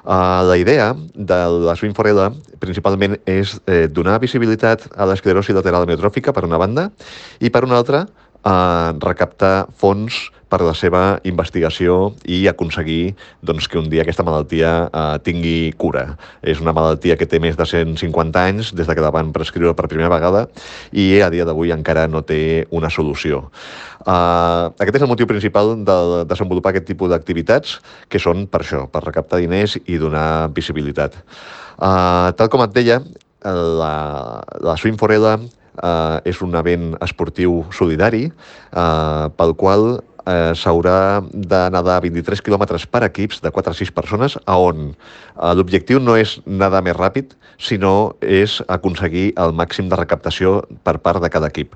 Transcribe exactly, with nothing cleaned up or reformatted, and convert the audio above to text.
Uh, la idea de la Swim for Ella principalment és eh, donar visibilitat a l'esclerosi lateral amiotròfica, per una banda, i per una altra, uh, recaptar fons per la seva investigació i aconseguir doncs, que un dia aquesta malaltia uh, tingui cura. És una malaltia que té més de cent cinquanta anys des de que la van prescriure per primera vegada i a dia d'avui encara no té una solució. Uh, aquest és el motiu principal de desenvolupar aquest tipus d'activitats, que són per això, per recaptar diners i donar visibilitat. Uh, tal com et deia, la, la Swim for Ella uh, és un event esportiu solidari uh, pel qual uh, s'haurà de nedar vint-i-tres quilòmetres per equips de quatre a sis persones, on uh, l'objectiu no és nedar més ràpid, sinó és aconseguir el màxim de recaptació per part de cada equip.